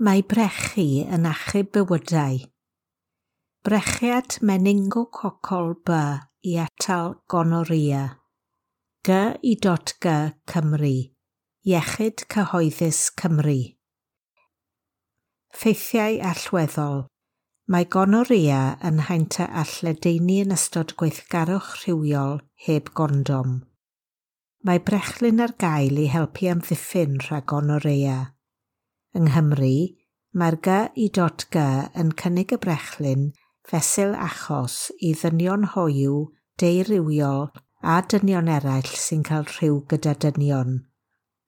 Mae brechu yn achub bywydau. Brechiad meningococol B i atal gonorrhea. G.I.G Cymru. Iechyd Cyhoeddus Cymru. Ffeithiau allweddol. Mae gonorrhea yn haint a all ledaenu yn ystod gweithgarwch rhywiol heb gondom. Mae brechlyn ar gael i helpu amddiffyn rhag gonorrhea. Yng Nghymru, mae'r G.I.G yn cynnig y brechlyn fesul achos i ddynion hoyw, deurywiol a dynion eraill sy'n cael rhyw gyda dynion.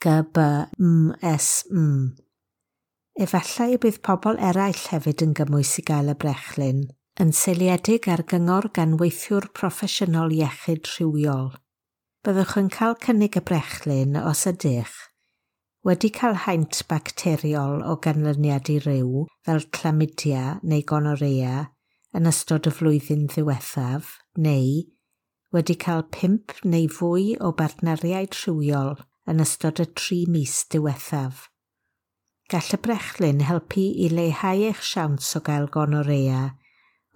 GBMSM. Efallai y bydd pobl eraill hefyd yn gymwys i gael y brechlyn, yn seiliedig ar gyngor gan weithiwr proffesiynol iechyd rhywiol. Byddwch yn cael cynnig y brechlyn os ydych wedi cael haint bacteriol o ganlyniad i ryw, fel chlamydia neu gonorrhea, yn ystod y flwyddyn ddiwethaf, neu wedi cael 5 neu fwy o bartneriaid rhywiol yn ystod y 3 mis diwethaf. Gall y brechlyn helpu i leihau eich siawns o gael gonorrhea,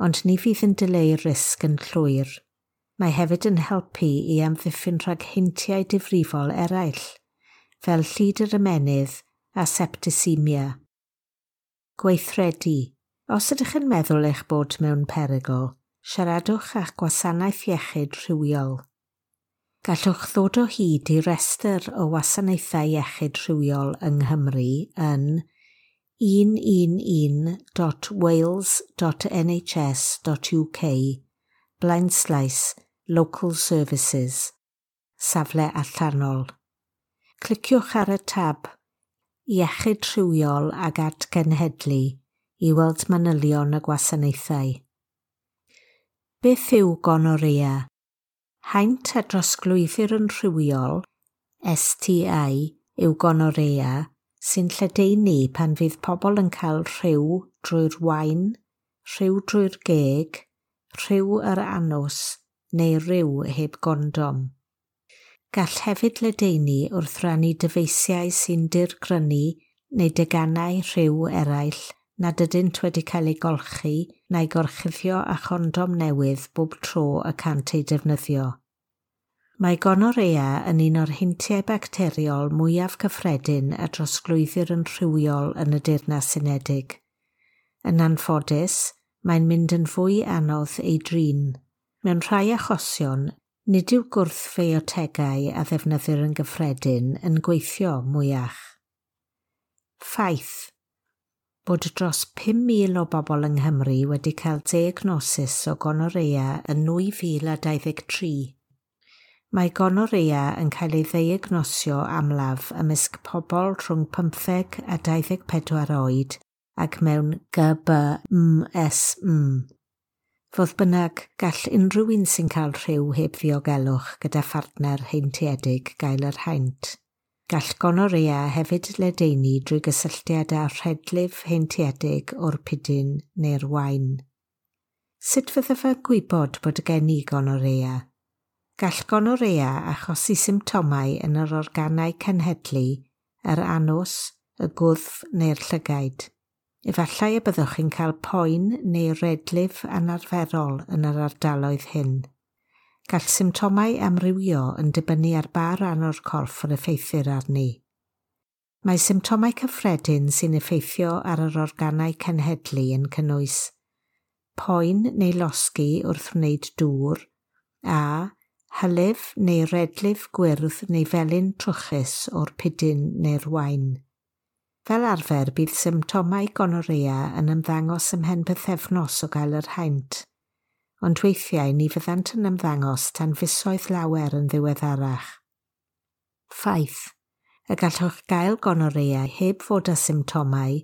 ond ni fydd yn dileu'r risg yn llwyr. Mae hefyd yn helpu i amddiffyn rhag heintiau difrifol eraill, fel llid yr ymennydd a septicemia. Gweithredu. Os ydych yn meddwl eich bod mewn perygl, siaradwch â'ch gwasanaeth iechyd rhywiol. Gallwch ddod o hyd i restr o wasanaethau iechyd rhywiol yng Nghymru yn 111.wales.nhs.uk blaenslaes Local Services, safle allanol. Cliciwch ar y tab Iechyd Rhywiol ag Atgenhedlu i weld manylion y gwasanaethau. Beth yw gonorrhea? Haint a drosglwyddir yn rhywiol, STI, yw gonorrhea, sy'n lledaenu pan fydd pobl yn cael rhyw drwy'r wain, rhyw drwy'r geg, rhyw yr anws neu ryw heb gondom. Gall hefyd ledaenu wrth rannu dyfeisiau sy'n dirgrynu neu deganau rhyw eraill nad ydynt wedi cael eu golchi na'u gorchuddio â chondom newydd bob tro y cant eu defnyddio. Mae gonorrhea yn un o'r heintiau bacteriol mwyaf cyffredin a drosglwyddir yn rhywiol yn y Deyrnas Unedig. Yn anffodus, mae'n mynd yn fwy anodd ei drin. Mewn rhai achosion, nid yw gwrthfiotegau a ddefnyddir yn gyffredin yn gweithio mwyach. Ffaith bod dros 5,000 o bobl yng Nghymru wedi cael diagnosis o gonorrhea yn 2023. Mae gonorrhea yn cael ei ddiagnosio amlaf ymysg pobl rhwng 15 a 24 oed ac mewn GBMSM. Fodd bynnag, gall unrhyw un sy'n cael rhyw heb ddiogelwch gyda phartner heintiedig gael yr haint. Gall gonorrhea hefyd ledaenu drwy gysylltiad â rhedlif heintiedig o'r pidyn neu'r wain. Sut fyddaf yn gwybod bod gen i gonorrhea? Gall gonorrhea achosi symptomau yn yr organau cenhedlu, yr anws, y gwddf neu'r llygaid. Efallai y byddwch chi'n cael poen neu redlif anarferol yn yr ardaloedd hyn. Gall symptomau amrywio yn dibynnu ar ba ran o'r corff yr effeithir arni. Mae symptomau cyffredin sy'n effeithio ar yr organau cenhedlu yn cynnwys poen neu losgi wrth wneud dŵr, a hylif neu redlif gwyrdd neu felyn trwchus o'r pidyn neu'r wain. Fel arfer, bydd symptomau gonorrhea yn ymddangos ymhen pythefnos o gael yr haint, ond weithiau ni fyddant yn ymddangos tan fisoedd lawer yn ddiweddarach. Ffaith, y gallwch gael gonorrhea heb fod â symptomau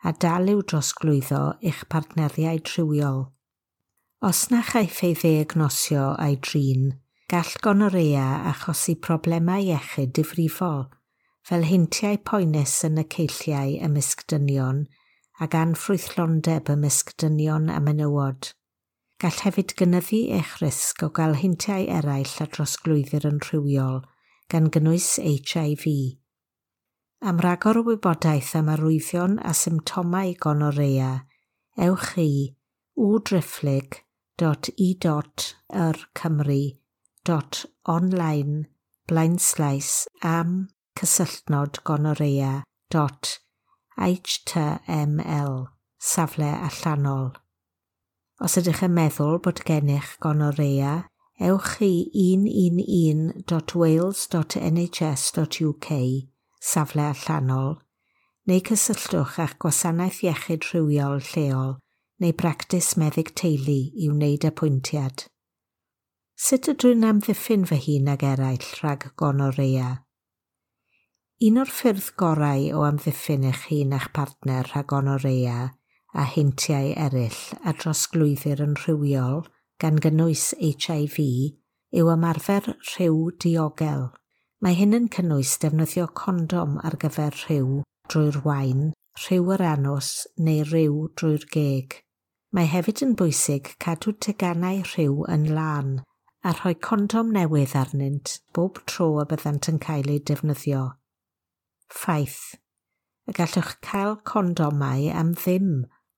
a dal i'w drosglwyddo i'ch partneriaid rhywiol. Os na chaiff ei ddiagnosio a'i drin, gall gonorrhea achosi problemau iechyd difrifol, fel heintiau poenus yn y ceilliau ymysg dynion ac anffrwythlondeb ymysg dynion a menywod. Gall hefyd gynyddu eich risg o gael heintiau eraill a drosglwyddir yn rhywiol, gan gynnwys HIV. Am ragor o wybodaeth am arwyddion a symptomau gonorea, ewch i w.e.rcymru.online blaenslaes am cysylltnod gonorea.html safle allanol. Os ydych yn meddwl bod gennych gonorea, ewch i 111.wales.nhs.uk safle allanol neu cysylltwch â'ch gwasanaeth iechyd rhywiol lleol neu bractis meddyg teulu i wneud apwyntiad. Sut ydw i'n amddiffyn fy hun ag eraill rhag gonorea? Un o'r ffyrdd gorau o amddiffyn eich hun a'ch partner rhag gonorea a heintiau eraill a drosglwyddir yn rhywiol, gan gynnwys HIV, yw ymarfer rhyw diogel. Mae hyn yn cynnwys defnyddio condom ar gyfer rhyw drwy'r wain, rhyw yr anws neu ryw drwy'r geg. Mae hefyd yn bwysig cadw teganau rhyw yn lân a rhoi condom newydd arnynt bob tro y byddant yn cael eu defnyddio. Ffaith. Y gallwch cael condomau am ddim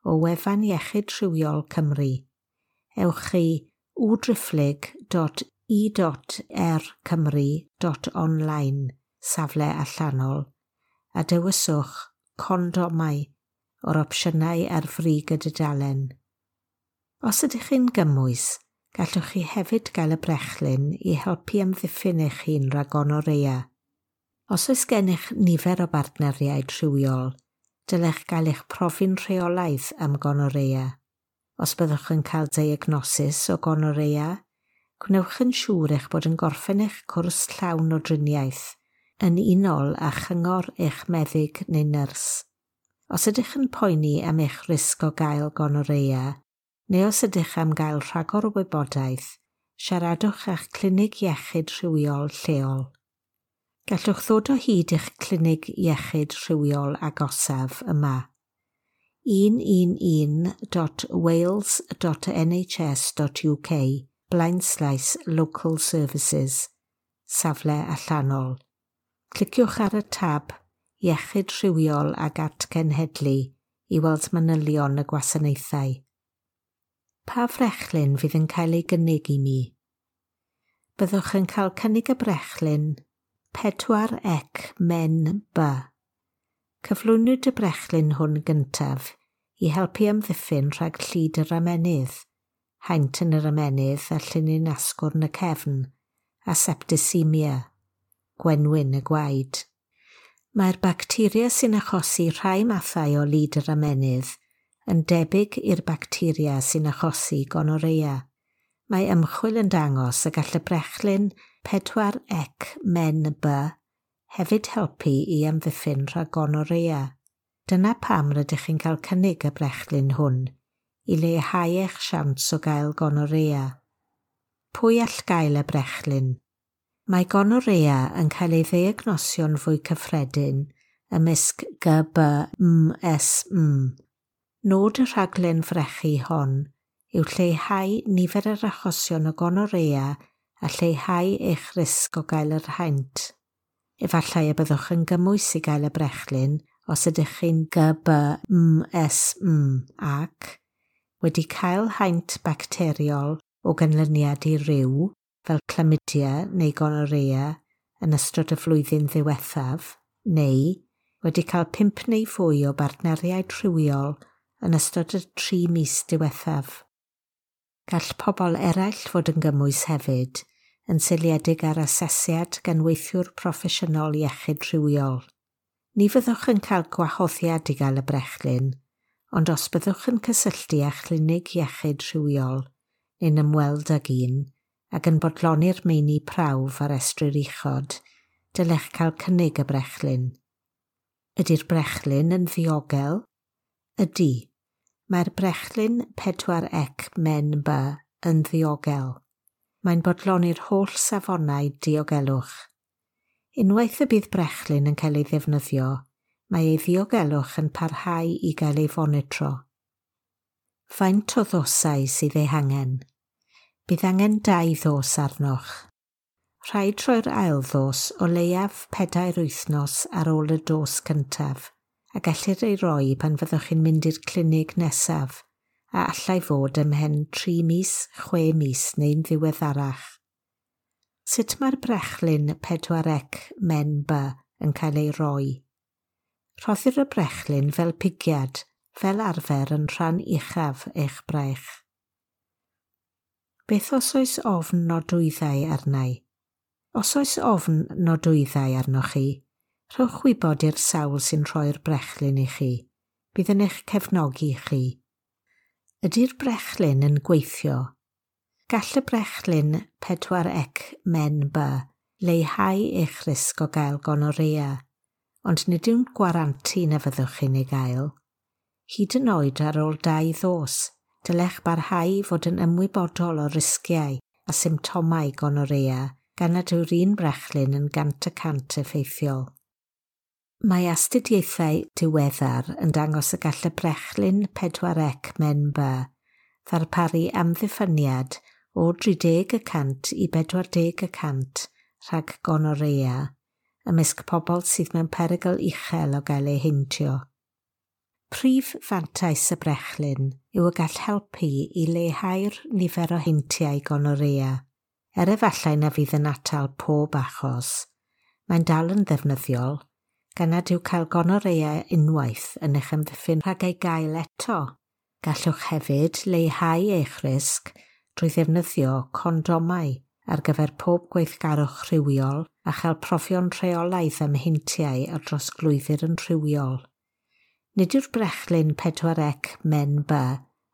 o wefan Iechyd Rhywiol Cymru. Ewch i w.e.rcymru.online safle allanol a dewiswch condomau o'r opsiynau ar frig y dudalen. Os ydych chi'n gymwys, gallwch chi hefyd gael y brechlyn i helpu amddiffyn eich hun rhag gonorea. Os oes gennych nifer o bartneriaid rhywiol, dylech gael eich profi'n rheolaidd am gonorea. Os byddwch yn cael diagnosis o gonorea, gwnewch yn siŵr eich bod yn gorffen eich cwrs llawn o driniaeth yn unol â chyngor eich meddyg neu nyrs. Os ydych yn poeni am eich risg o gael gonorea, neu os ydych am gael rhagor o wybodaeth, siaradwch â'ch clinig iechyd rhywiol lleol. Gallwch ddod o hyd i'ch clinig iechyd rhywiol agosaf yma. 111.wales.nhs.uk blaenslaes local services safle allanol. Cliciwch ar y tab Iechyd Rhywiol ag Atgenhedlu i weld manylion y gwasanaethau. Pa frechlyn fydd yn cael ei gynnig i mi? Byddwch yn cael cynnig y brechlyn 4 ec men B. Cyflwynwyd y brechlyn hwn gyntaf i helpu amddiffyn rhag llid yr ymennydd, haint yn yr ymennydd a llinyn asgwrn y cefn, a septicemia, gwenwyn y gwaed. Mae'r bacteria sy'n achosi rhai mathau o lid yr ymennydd yn debyg i'r bacteria sy'n achosi gonorea. Mae ymchwil yn dangos y gall y brechlyn 4 ec men B hefyd helpu i amddiffyn rhag gonorea. Dyna pam rydych chi'n cael cynnig y brechlyn hwn, i leihau eich siawns o gael gonorea. Pwy all gael y brechlyn? Mae gonorea yn cael ei ddiagnosio'n fwy cyffredin ymysg GBMSM. Nod y rhaglen frechu hon yw lleihau nifer yr achosion o gonorea a lleihau eich risg o gael yr haint. Efallai y byddwch yn gymwys i gael y brechlyn os ydych chi'n GBMSM ac wedi cael haint bacteriol o ganlyniad i ryw, fel chlamydia neu gonorea yn ystod y flwyddyn ddiwethaf, neu wedi cael 5 neu fwy o bartneriaid rhywiol yn ystod y 3 mis diwethaf. Gall pobl eraill fod yn gymwys hefyd, yn seiliedig ar asesiad gan weithiwr proffesiynol iechyd rhywiol. Ni fyddwch yn cael gwahoddiad i gael y brechlyn, ond os byddwch yn cysylltu â chlinig iechyd rhywiol neu'n ymweld ag un ac yn bodloni'r meini prawf ar restrir uchod, dylech cael cynnig y brechlyn. Ydy'r brechlyn yn ddiogel? Ydy. Mae'r brechlyn 4 ec men B yn ddiogel. Mae'n bodloni'r holl safonau diogelwch. Unwaith y bydd brechlyn yn cael ei ddefnyddio, mae ei ddiogelwch yn parhau i gael ei fonitro. Faint o ddosau sydd ei hangen? Bydd angen 2 ddos arnoch. Rhaid rhoi'r ail ddos o leiaf 4 wythnos ar ôl y dos cyntaf, a gellir ei roi pan fyddwch chi'n mynd i'r clinig nesaf, a allai fod ymhen 3 mis, 6 mis neu'n ddiweddarach. Sut mae'r brechlyn 4C MenB yn cael ei roi? Rhoddir y brechlyn fel pigiad, fel arfer yn rhan uchaf eich braich. Beth os oes ofn nodwyddau arna i? Os oes ofn nodwyddau arnoch chi, rhowch wybod i'r sawl sy'n rhoi'r brechlyn i chi. Bydd yn eich cefnogi chi. Ydy'r brechlyn yn gweithio? Gall y brechlyn 4C MenB leihau eich risg o gael gonorea, ond nid yw'n gwarantu na fyddwch chi'n ei gael. Hyd yn oed ar ôl dau ddos, dylech barhau i fod yn ymwybodol o risgiau a symptomau gonorea gan nad yw'r un brechlyn yn 100% effeithiol. Mae astudiaethau diweddar yn dangos y gall y brechlyn 4C MenB ddarparu amddiffyniad o 30% i 40% rhag gonorea ymysg pobl sydd mewn perygl uchel o gael eu heintio. Prif fantais y brechlyn yw y gall helpu i leihau'r nifer o heintiau gonorea, er efallai na fydd yn atal pob achos. Mae'n dal yn ddefnyddiol, gan nad yw cael gonorea unwaith yn eich amddiffyn rhag ei gael eto. Gallwch hefyd leihau eich risg drwy ddefnyddio condomau ar gyfer pob gweithgarwch rhywiol a chael profion rheolaidd am heintiau a drosglwyddir yn rhywiol. Nid yw'r brechlyn 4C MenB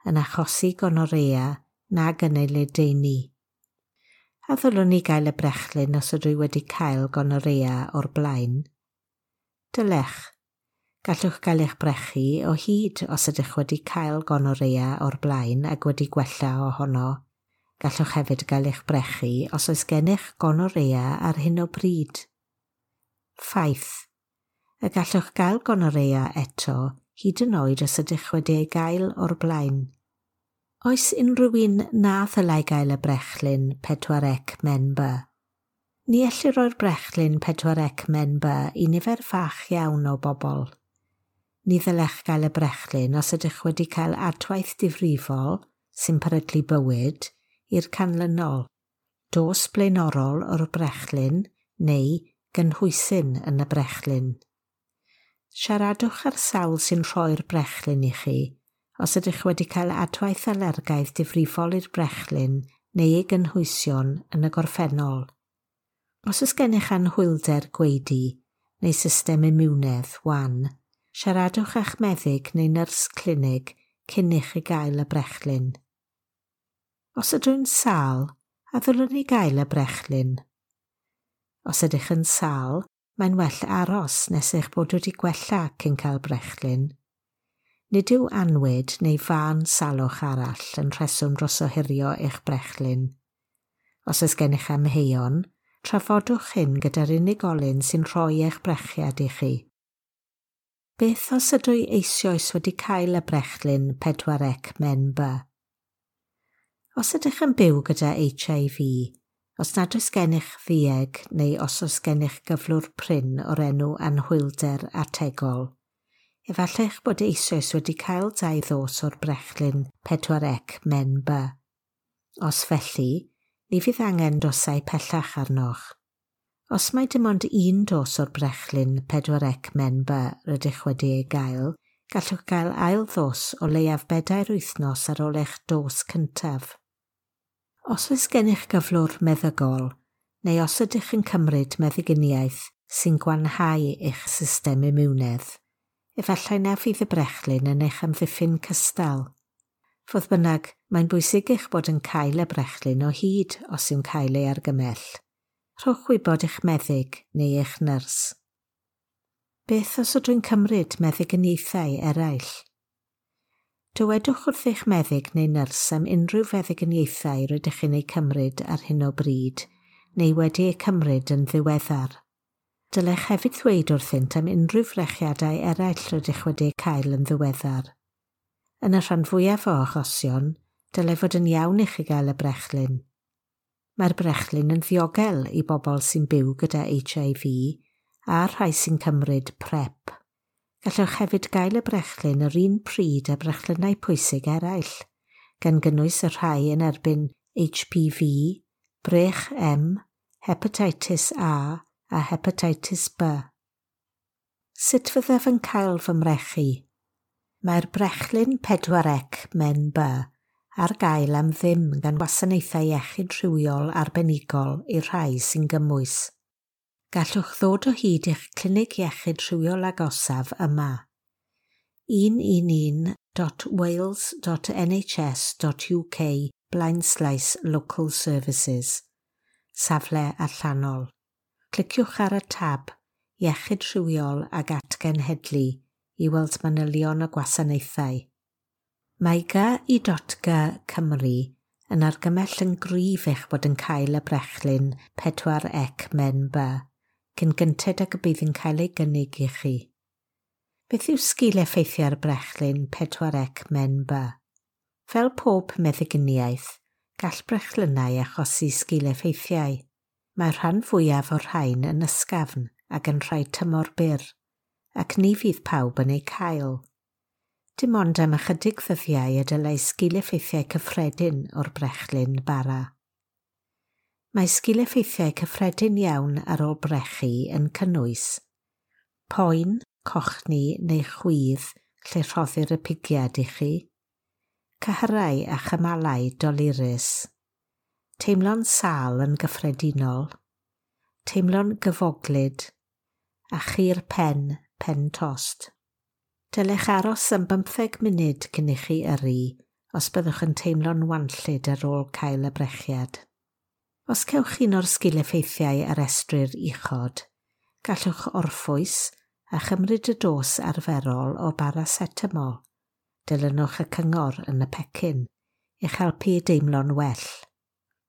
yn achosi gonorea nag yn ei ledaenu. A ddylwn i gael y brechlyn os ydw i wedi cael gonorea o'r blaen? Dylech. Gallwch gael eich brechu o hyd os ydych wedi cael gonorea o'r blaen ac wedi gwella ohono. Gallwch hefyd gael eich brechu os oes gennych gonorea ar hyn o bryd. Ffaith. Y gallwch gael gonorea eto hyd yn oed os ydych wedi ei gael o'r blaen. Oes unrhyw un na ddylai gael y brechlyn 4C MenB? Ni ellir roi'r brechlyn 4C MenB i nifer fach iawn o bobl. Ni ddylech gael y brechlyn os ydych wedi cael adwaith difrifol sy'n peryglu bywyd i'r canlynol: dos blaenorol o'r brechlyn neu gynhwysyn yn y brechlyn. Siaradwch â'r sawl sy'n rhoi'r brechlyn i chi os ydych wedi cael adwaith alergaidd difrifol i'r brechlyn neu ei gynhwysion yn y gorffennol. Os oes gennych anhwylder gwaedu neu system imiwnedd wan, siaradwch â'ch meddyg neu nyrs clinig cyn i chi gael y brechlyn. Os ydw i'n sâl, a ddylwn i gael y brechlyn? Os ydych yn sâl, mae'n well aros nes eich bod wedi gwella cyn cael brechlyn. Nid yw annwyd neu fân salwch arall yn rheswm dros ohirio eich brechlyn. Os oes gennych amheuon, trafodwch hyn gyda'r unigolyn sy'n rhoi eich brechiad i chi. Beth os ydw i eisoes wedi cael y brechlyn 4C MenB? Os ydych yn byw gyda HIV, os nad oes gennych ddueg neu os oes gennych gyflwr prin o'r enw anhwylder ategol, efallai eich bod eisoes wedi cael dau ddos o'r brechlyn 4C MenB. Os felly, ni fydd angen dosau pellach arnoch. Os mai dim ond un dos o'r brechlyn 4C MenB rydych wedi ei gael, gallwch gael ail ddos o leiaf 4 wythnos ar ôl eich dos cyntaf. Os oes gennych gyflwr meddygol, neu os ydych yn cymryd meddyginiaeth sy'n gwanhau eich system imiwnedd, efallai na fydd y brechlyn yn eich amddiffyn cystal. Fodd bynnag, mae'n bwysig eich bod yn cael y brechlyn o hyd os yw'n cael ei argymell. Rhowch wybod eich meddyg neu eich nyrs. Beth os ydw i'n cymryd meddyginiaethau eraill? Dywedwch wrth eich meddyg neu nyrs am unrhyw feddyginiaethau rydych chi'n eu cymryd ar hyn o bryd neu wedi eu cymryd yn ddiweddar. Dylech hefyd ddweud wrthynt am unrhyw frechiadau eraill rydych wedi eu cael yn ddiweddar. Yn y rhan fwyaf o achosion, dylai fod yn iawn i chi gael y brechlyn. Mae'r brechlyn yn ddiogel i bobl sy'n byw gyda HIV a'r rhai sy'n cymryd PrEP. Gallwch hefyd gael y brechlyn yr un pryd â brechlynnau pwysig eraill, gan gynnwys y rhai yn erbyn HPV, brech M, hepatitis A a hepatitis B. Sut fyddaf yn cael fy mrechu? Mae'r brechlyn 4C Men B ar gael am ddim gan wasanaethau iechyd rhywiol arbenigol i'r rhai sy'n gymwys. Gallwch ddod o hyd i'ch clinig iechyd rhywiol agosaf yma: 111.wales.nhs.uk/local services, safle allanol. Cliciwch ar y tab Iechyd Rhywiol ag Atgenhedlu i weld manylion y gwasanaethau. Mae GI.G Cymru yn argymell yn gryf eich bod yn cael y brechlyn 4C Men B cyn gynted ag y bydd yn cael ei gynnig i chi. Beth yw sgil effeithiau'r brechlyn 4C Men B? Fel pob meddyginiaeth, gall brechlynnau achosi sgil effeithiau. Mae'r rhan fwyaf o'r rhain yn ysgafn ac yn rhai tymor byr, ac ni fydd pawb yn eu cael. Dim ond am ychydig ddyddiau y dylai sgil-effeithiau cyffredin o'r brechlyn bara. Mae sgil-effeithiau cyffredin iawn ar ôl brechu yn cynnwys poen, cochni neu chwydd lle rhoddir y pigiad i chi, cyhyrau a chymalau dolurus, teimlo'n sâl yn gyffredinol, teimlo'n gyfoglyd, a chur pen, pen tost. Dylech aros am 15 munud cyn i chi yrru os byddwch yn teimlo'n wanllyd ar ôl cael y brechiad. Os cewch un o'r sgil-effeithiau a restrir uchod, gallwch orffwys a chymryd y dos arferol o baracetamol. Dilynwch y cyngor yn y pecyn i'ch helpu i deimlo'n well.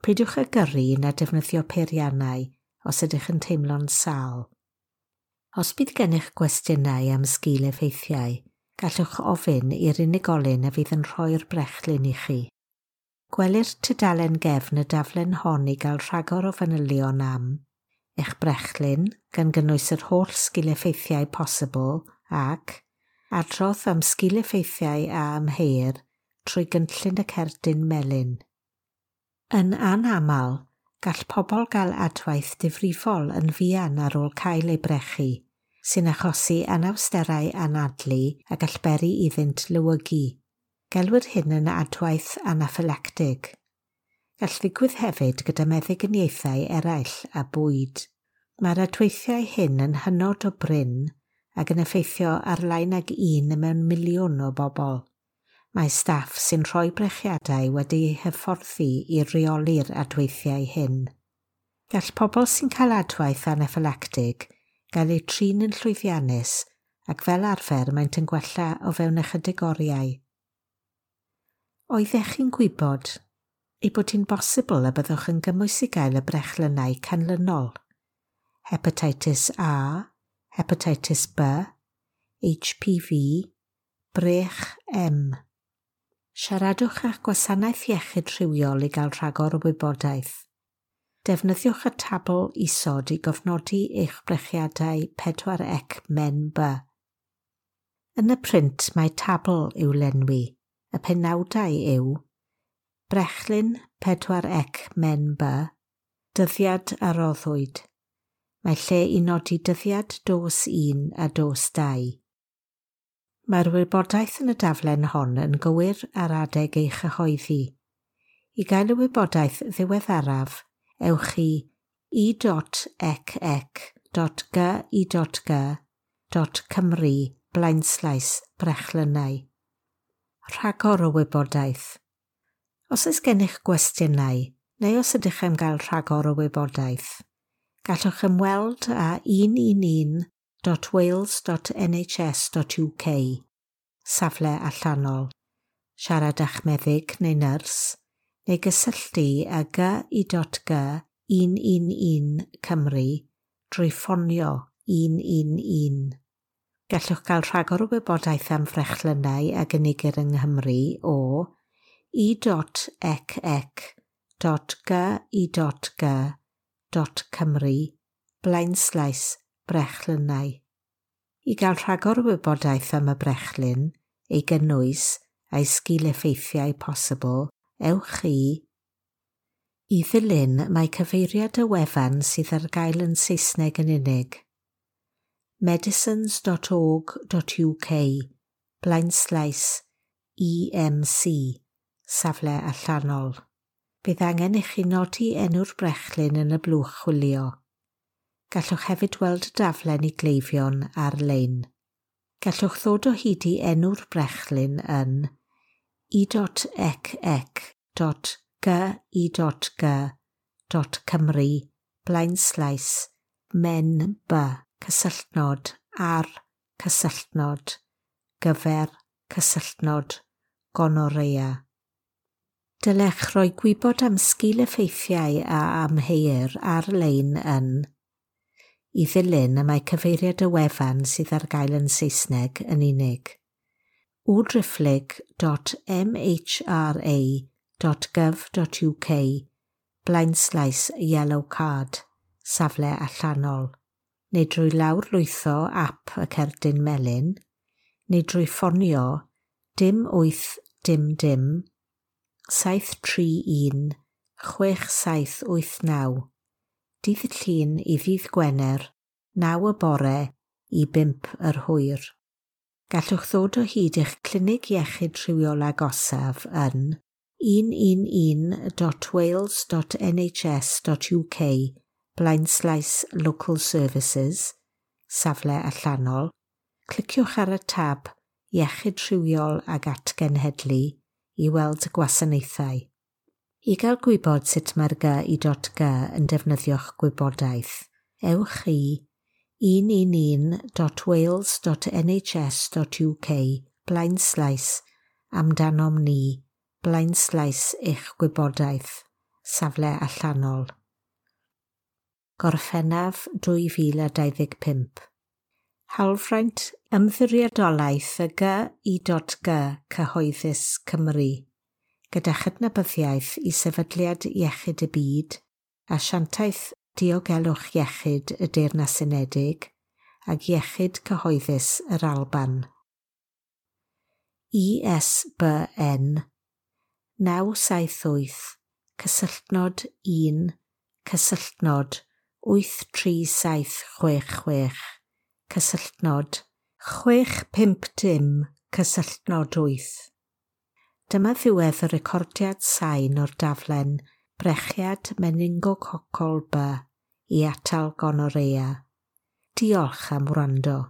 Peidiwch â gyrru na defnyddio peiriannau os ydych yn teimlo'n sâl. Os bydd gennych gwestiynau am sgil effeithiau, gallwch ofyn i'r unigolyn a fydd yn rhoi'r brechlyn i chi. Gwelir tudalen gefn y daflen hon i gael rhagor o fanylion am eich brechlyn, gan gynnwys yr holl sgil-effeithiau posibl ac adrodd am sgil-effeithiau a amheuir trwy gynllun y cerdyn melyn. Yn anaml, gall pobl gael adwaith difrifol yn fuan ar ôl cael eu brechu, sy'n achosi anawsterau anadlu a gall beri iddynt lewygu. Gelwir hyn yn adwaith anaffylactig. Gall ddigwydd hefyd gyda meddyginiaethau eraill a bwyd. Mae'r adweithiau hyn yn hynod o brin ac yn effeithio ar lai nag un mewn miliwn o bobl. Mae staff sy'n rhoi brechiadau wedi'u hyfforddi i reoli'r adweithiau hyn. Gall pobl sy'n cael adwaith anaffylactig gael eu trin yn llwyddiannus ac fel arfer maent yn gwella o fewn ychydig oriau. Oeddech chi'n gwybod ei bod hi'n bosibl y byddwch yn gymwys i gael y brechlynnau canlynol: Hepatitis A, Hepatitis B, HPV, brech M? Siaradwch â'ch gwasanaeth iechyd rhywiol i gael rhagor o wybodaeth. Defnyddiwch y tabl isod i gofnodi eich brechiadau 4C Men B. Yn y print mae tabl i'w lenwi. Y penawdau yw Brechlyn 4C Men B, dyddiad a roddwyd. Mae lle i nodi dyddiad dos 1 a dos 2. Mae'r wybodaeth yn y daflen hon yn gywir ar adeg ei chyhoeddi. I gael y wybodaeth ddiweddaraf, ewch i e.ecec.gi.g.cymru/brechlynnau. Rhagor o wybodaeth. Os oes gennych gwestiynau, neu os ydych am gael rhagor o wybodaeth, gallwch ymweld â 111.wales.nhs.uk, safle allanol, siarad â'ch meddyg neu nyrs, neu gysylltu â GI.G 111 Cymru drwy ffonio 111. Gallwch gael rhagor o wybodaeth am frechlynnau a gynigir yng Nghymru o e.ecec.gi.g. .gi.g .cymru blaenslaes brechlynnau. I gael rhagor o wybodaeth am y brechlyn, ei gynnwys a'i sgil-effeithiau posibl, ewch i. I ddilyn, mae cyfeiriad y wefan sydd ar gael yn Saesneg yn unig: medicines.org.uk blaenslaes EMC, safle allanol. Bydd angen i chi nodi enw'r brechlyn yn y blwch chwilio. Gallwch hefyd weld y daflen i gleifion ar-lein. Gallwch ddod o hyd i enw'r brechlyn yn e.ec.gi.g.cymru blaenslaes men b cysylltnod ar cysylltnod gyfer cysylltnod gonorrhea. Dylech roi gwybod am sgil-effeithiau a amheuir ar-lein yn. I ddilyn, y mae cyfeiriad y wefan sydd ar gael yn Saesneg yn unig: www.mhra.gov.uk blaenslaes yellow card, safle allanol, neu drwy lawrlwytho ap y cerdyn melyn, neu drwy ffonio 0 8 0 0 731 6789, dydd Llun i ddydd Gwener, 9 y bore i 5 yr hwyr. Gallwch ddod o hyd i'ch clinig iechyd rhywiol agosaf yn 111.wales.nhs.uk blaenslaes local services, safle allanol. Cliciwch ar y tab Iechyd Rhywiol ag Atgenhedlu i weld y gwasanaethau. I gael gwybod sut mae'r GI.G yn defnyddio'ch gwybodaeth, ewch i 111.wales.nhs.uk blaenslaes amdanom ni blaenslaes eich gwybodaeth, safle allanol. Gorffennaf 2025. Hawlfraint Ymddiriedolaeth y GI.G Cyhoeddus Cymru, gyda chydnabyddiaeth i Sefydliad Iechyd y Byd, Asiantaeth Diogelwch Iechyd y Deyrnas Unedig ac Iechyd Cyhoeddus yr Alban. ISBN 978 cysylltnod 1 cysylltnod 83766 cysylltnod 650 cysylltnod 8. Dyma ddiwedd y recordiad sain o'r daflen Brechiad Meningococol B i atal gonorrhea. Diolch am wrando.